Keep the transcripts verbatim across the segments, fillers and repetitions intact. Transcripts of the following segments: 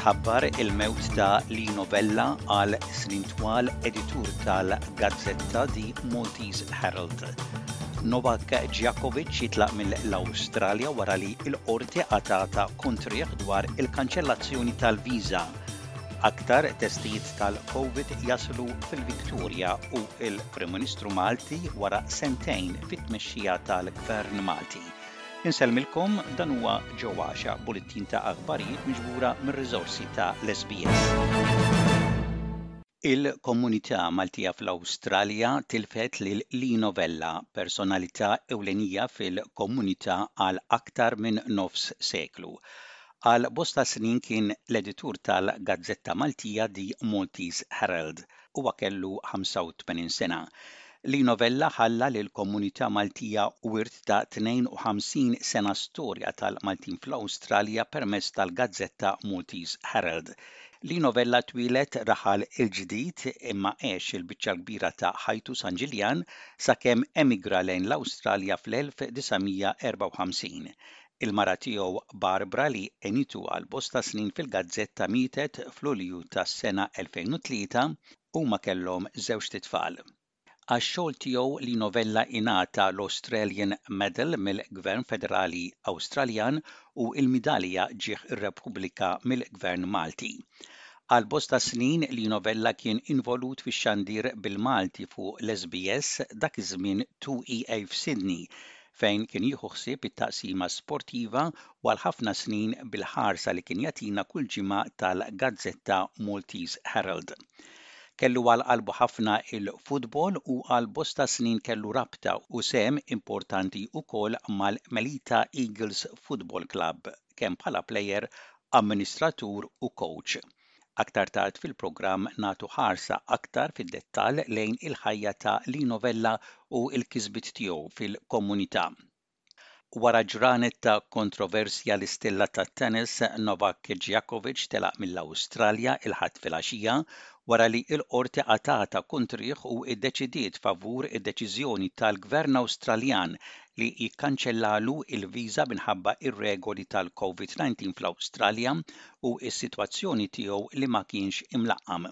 Titħabbar il-mewt ta' Lino Vella, għal snin twal editur tal-gazzetta The Maltese Herald. Novak Djokovic jitlaq mill-Awstralja wara li l-qorti qatgħetha kontrih dwar il-kanċellazzjoni tal-viża. Aktar testijiet tal-COVID jaslu fil-Victoria u il-Prim Ministru Malti wara sentejn fit-tmexxija tal-Gvern Malti. Insellmilkom, dan huwa ġewwaxa bulettin ta' aħbarijiet miġbura mir-riżorsi ta' l-S B S. Il-komunità Maltija fl-Awstralja tilfet lil Lino Vella, personalità ewlenija fil-komunità għal aktar minn nofs seklu. Għal bosta snin kien l-editur tal-Gazzetta Maltija The Maltese Herald. Huwa kellu ħamsa u tmenin sena. Lino Vella ħalla lil komunità Maltija wirt ta' tnejn u ħamsin sena storja tal-Maltin fl-Awstralja permezz tal-Gazzetta Maltese Herald. Lino Vella twieled Raħal il-Ġdid imma għex il-biċċa kbira ta' ħajtu San Ġiljan sakemm emigra lejn l-Awstralja fl-elf disa' mija erbgħa u ħamsin. Il-mara tiegħu Barbara, li għenitu għal bosta snin fil-gazzetta, mietet fl-Ulju tas-sena elfejn u tlieta. Huma kellhom żewġt itfal. Għax-xogħol tiegħu, Lino Vella ingħata l-Australian Medal mill-Gvern Federali Awstraljan u l-Midalja Ġieħ ir-Repubblika mill-Gvern Malti. Għal bosta snin Lino Vella kien involut fix-xandir bil-Malti fuq l-S B S, dak iż-żmien two E A f'Sydney, fejn kien jieħu ħsieb it-taqsima sportiva, u għal ħafna snin bil-ħarsa li kien jagħtina kull ġimgħa tal-gazzetta Maltese Herald. Kellu għal qalbu ħafna il-futbol u għal bosta snin kellu rabta u sehem importanti ukoll mal-Melita Eagles Football Club, kemm bħala plejer, amministratur u coach. Aktar tard fil-programm nagħtu ħarsa aktar fid-dettall lejn il-ħajja ta' Lino Vella u l-kisbiet tiegħu fil-komunità. Wara ġranet ta' kontroversja, l-istilla ta' tennis Novak Djokovic telaq mill-Awstralja il-Ħadd filgħaxija wara li l-qorti qatgħetha kontrih u iddeċidiet favur id-deċiżjoni tal-Gvern Awstraljan li jikkanċellalu il-viża minħabba ir-regoli tal-COVID nineteen fl-Awstralja u s-sitwazzjoni tiegħu li ma kienx imlaqqam.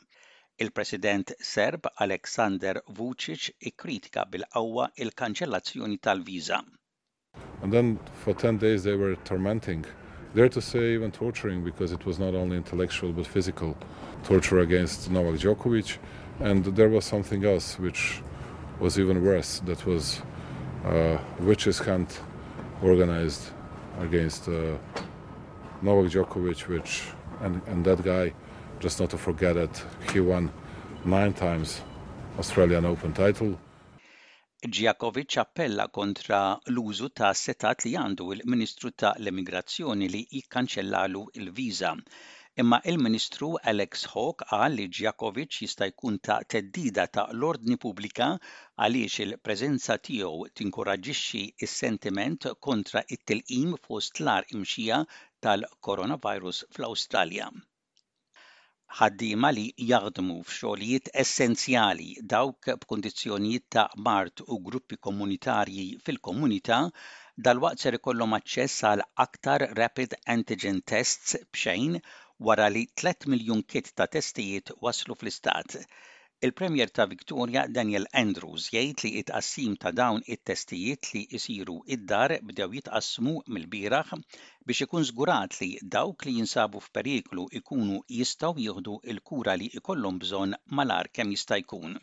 Il-President Serb Aleksander Vucic ikkritika bil-qawwa il-kanċellazzjoni tal-viża. And then for ten days they were tormenting, dare to say even torturing, because it was not only intellectual but physical torture against Novak Djokovic. And there was something else which was even worse, that was uh, witch's hunt organized against uh, Novak Djokovic, which and, and that guy, just not to forget that he won nine times Australian Open title. Djokovic appella kontra l-użu ta' setgħat li għandu il-Ministru ta' l-Immigrazzjoni li jikkanċellalu il-viża. Imma il-Ministru Alex Hawke qal li Djokovic jista' jkun ta' theddida ta' l-ordni pubblika għaliex il-preżenza tiegħu tinkoraġġixxi s-sentiment kontra it-tilqim fost l-agħar imxija tal-coronavirus fl-Awstralja. Ħaddiema li jaħdmu f'xogħlijiet essenzjali, dawk b'kundizzjonijiet ta' mard u gruppi komunitarji fil-komunità dalwaqt ser ikollhom aċċess għal aktar rapid antigen tests b'xejn wara li tliet miljun kit ta' testijiet waslu fl-istat. Il-Premier ta' Victoria Daniel Andrews jgħid li it-tqassim ta' dawn it-testijiet li jsiru id-dar bdew jitqassmu mill-bieraħ biex ikun żgurat li dawk li jinsabu f'periklu ikunu jistgħu jieħdu l-kura li ikollhom bżonn malajr kemm jista' jkun.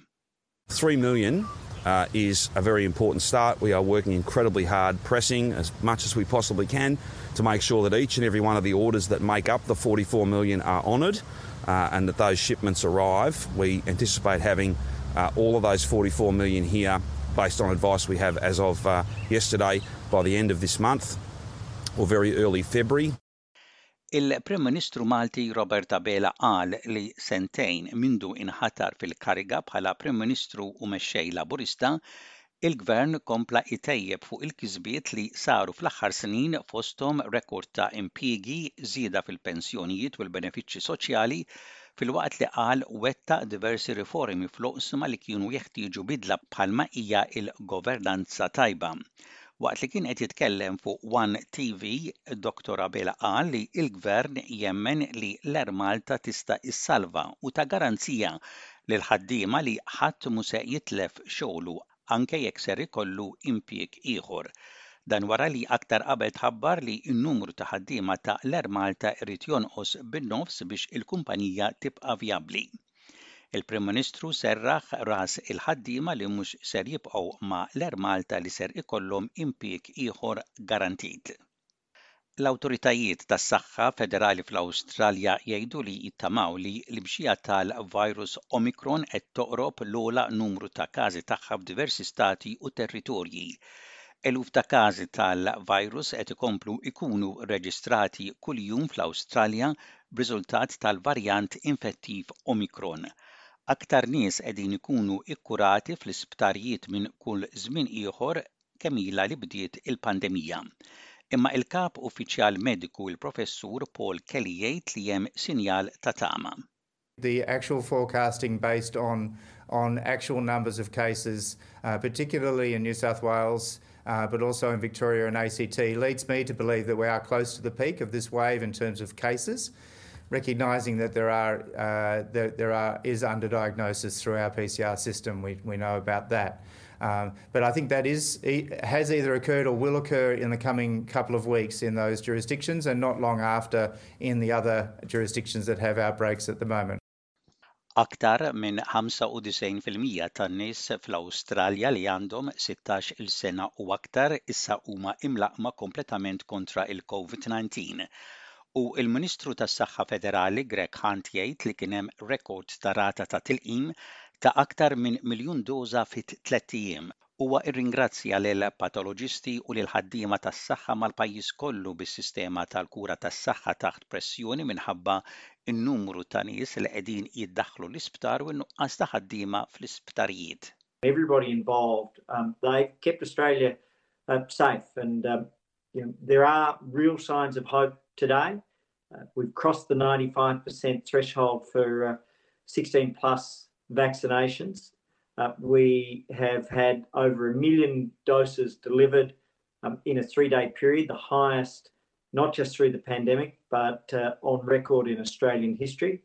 three million uh, is a very important start. We are working incredibly hard, pressing as much as we possibly can to make sure that each and every one of the orders that make up the forty-four million are honoured uh, and that those shipments arrive. We anticipate having uh, all of those forty-four million here, based on advice we have as of uh, yesterday, by the end of this month or very early February. Il-Prim Ministru Malti Robert Abela qal li sentejn mindu inħatar fil-kariga bħala Prim Ministru u mexxej Laburista, il-Gvern kompla itejjeb fuq il-kisbiet li saru fl-aħħar snin, fosthom rekord ta' impjiegi, żieda fil-pensjonijiet u l-benefiċċji soċjali, filwaqt li qal wettaq diversi riformi fl-oqsma li kienu jeħtieġu bidla bħalma hija il-governanza tajba. Waqt li kien qed jitkellem fuq One T V, Doctor Abela qal li l-Gvern jemmen li l-Air Malta tista' issalva u ta garanzija lil ħaddiema li ħadd mhu se jitlef xogħlu anke jekk ser ikollu impjieg ieħor. Dan wara li aktar qabel tħabbar li n-numru ta' ħaddiema ta' l-Air Malta irid jonqos bin-nofs biex il-kumpanija tibqa' vjabbli. Il-Prim Ministru serraħ ras il-ħaddiema li mhux ser jibqgħu ma' l-Air Malta li ser ikollhom impjieg ieħor garantit. L-awtoritajiet tas-saħħa federali fl-Awstralja jgħidu li jittamaw li l-imxija tal-virus Omicron qed toqrob l-ogħla numru ta' każi tagħha f'diversi stati u territorji. Eluf ta' każi tal-virus qed ikomplu ikunu reġistrati kuljum fl-Awstralja b'riżultat tal-varjant infettiv Omicron. Aktar nies qegħdin ikunu ikkurati fl-isptarijiet minn kull żmien ieħor kemm ilha li bdiet il-pandemija. Imma il-kap uffiċjal mediku, il-Professur Paul Kelly, jgħid li hemm sinjal ta' tama. The actual forecasting based on, on actual numbers of cases, uh, particularly in New South Wales, uh, but also in Victoria and A C T, leads me to believe that we are close to the peak of this wave in terms of cases, recognising that there are uh, there, there are is underdiagnosis through our P C R system. We, we know about that. Um, but I think that is has either occurred or will occur in the coming couple of weeks in those jurisdictions and not long after in the other jurisdictions that have outbreaks at the moment. Aktar minn ħamsa u disgħin fil-mija tan-nies fl-Awstralja li għandhom sittax-il sena u aktar issa huma imlaqqma kompletament kontra il-COVID nineteen. U il-Ministru tas-Saħħa Federali Greg Hunt jgħid li kien hemm rekord ta' rata ta' tilqim ta' aktar minn miljun doża fit tliet ijiem. Huwa irringrazzja lil patoloġisti u lil ħaddiema tas-saħħa mal-pajjiż kollu bis-sistema tal-kura tas-saħħa taħt pressjoni minħabba n-numru ta' nies li qegħdin jiddaħħlu l-isptar u n-nuqqas ta' ħaddiema fl-isptarijiet. Everybody involved, um, they kept Australia uh, safe and um, you know, there are real signs of hope today. Uh, we've crossed the ninety-five percent threshold for uh, sixteen plus vaccinations. Uh, we have had over a million doses delivered um, in a three day period, the highest not just through the pandemic, but uh, on record in Australian history.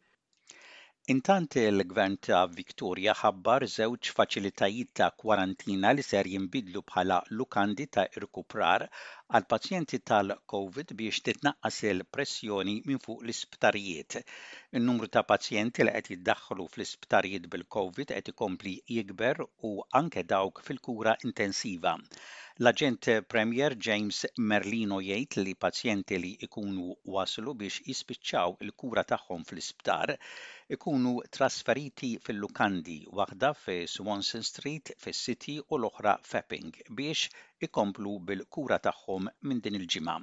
Intant, il-Gvern ta' Victoria ħabbar żewġ faċilitajiet ta' kwarantina li ser jinbidlu bħala lukandi ta' irkuprar għal pazjenti tal-COVID biex titnaqqas il-pressjoni minn fuq l-isptarijiet. In-numru ta' pazjenti li qed jiddaħħlu fl-isptarijiet bil-COVID qed ikompli jikber u anke dawk fil-kura intensiva. L-Aġent Premier James Merlino jgħid li pazjenti li ikunu waslu biex jispiċċaw il-kura tagħhom fl-isptar ikunu trasferiti fil-lukandi, waħda fi Swanston Street fis-City u l-oħra f'Epping, biex ikomplu bil-kura tagħhom minn din il-ġimgħa.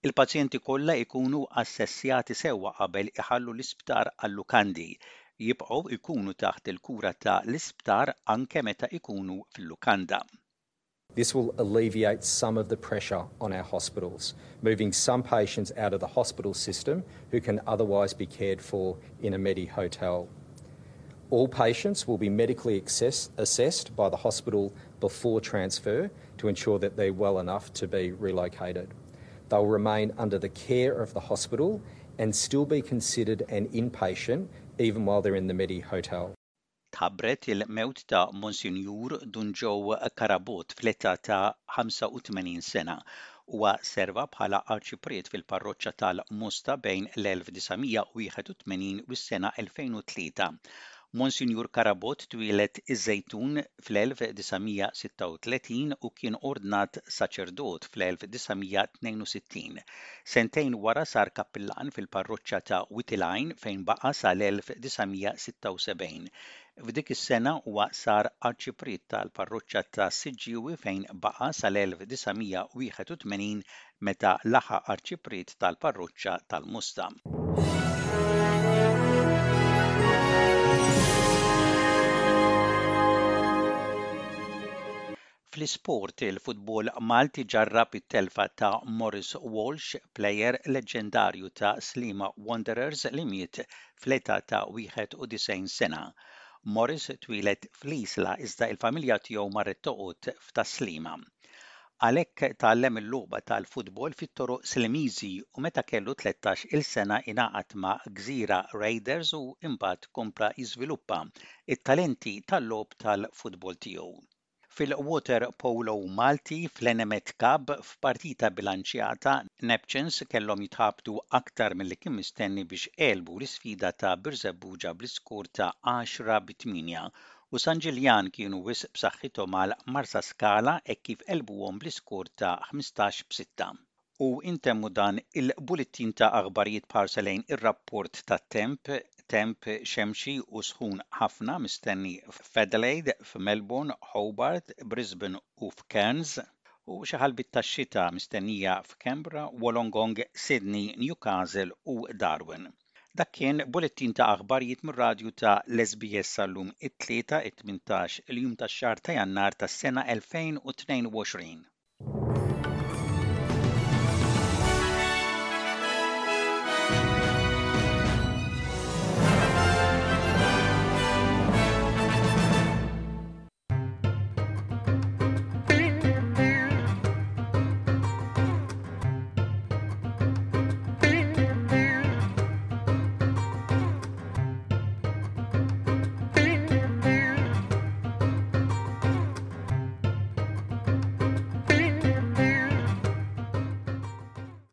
Il-pazjenti kollha ikunu assessjati sewwa qabel iħallu l-isptar għal-lukandi. Jibqgħu ikunu taħt il-kura ta' l-isptar anke meta ikunu fil-lukanda. This will alleviate some of the pressure on our hospitals, moving some patients out of the hospital system who can otherwise be cared for in a Medi hotel. All patients will be medically assess, assessed by the hospital before transfer to ensure that they're well enough to be relocated. They'll remain under the care of the hospital and still be considered an inpatient even while they're in the Medi hotel. Tħabbret il-mewt ta' Monsinjur Dun Joe Carabott fl-età ta' ħamsa u tmenin sena. Huwa serva bħala arċipriet fil-parroċċa tal-Mosta bejn l-elf disa' mija u wieħed u tmenin u s-sena elfejn u tlieta. Monsinjur Carabott twieled iż-Żejtun fl-elf disa' mija sitta u tletin u kien ordnat saċerdot fl-elf disa' mija tnejn u sittin. Sentejn wara sar kappillan fil-parroċċa ta' Wied il-Għajn fejn baqa' sal-elf disa' mija sitta u sebgħin. F'dik is-sena huwa sar arċipriet tal-parroċċa ta' Siġġiewi fejn baqa' sal-elf disa' mija wieħed u tmenin meta laħaq arċipriet tal-parroċċa tal-Mosta. Fl-isport, il-futbol Malti ġarrab it-telfa ta' Maurice Walsh, plejer leġendarju ta' Sliema Wanderers li miet fl-età ta' wieħed u disgħin sena. Maurice twieled fl-Isla iżda il-familja tiegħu marret toqgħod f'Tas-Sliema. Għalhekk tgħallem il-logħba tal-futbol fit-toroq Slimiżi u meta kellu tlettax-il sena ingħaqad ma' Gżira Raiders u imbagħad kompla jiżviluppa it-talenti tal-logħob tal-futbol tiegħu. Fil-water polo Malti fl-Enemed Cup, f'partita bilanċjata, Neptunes kellhom jitħabtu aktar milli kien mistenni biex għelbu l-isfida ta' Birżebbuġa bl-iskur ta' għaxra bi tmienja, u San Ġiljan kienu wisq b'saħħithom għal Marsaskala hekk kif għelbuhom bl-iskur ta' ħmistax b'sitta. U intemmu dan il-bullettin ta' aħbarijiet b'ħarsa lejn ir-rapport tat-temp: temp xemxi u sħun ħafna mistenni f'Adelaide, f'Melbourne, Hobart, Brisbane u f'Cairns, u xi ħalbiet tax-xita mistennija f'Canberra, Wollongong, Sydney, Newcastle u Darwin. Dak kien bullettin ta' aħbarijiet mir-radju ta' l-S B S għal-lum it-Tlieta, it-tmintax il-jum tax-xahar ta' Jannar tas-sena elfejn u tnejn u għoxrin.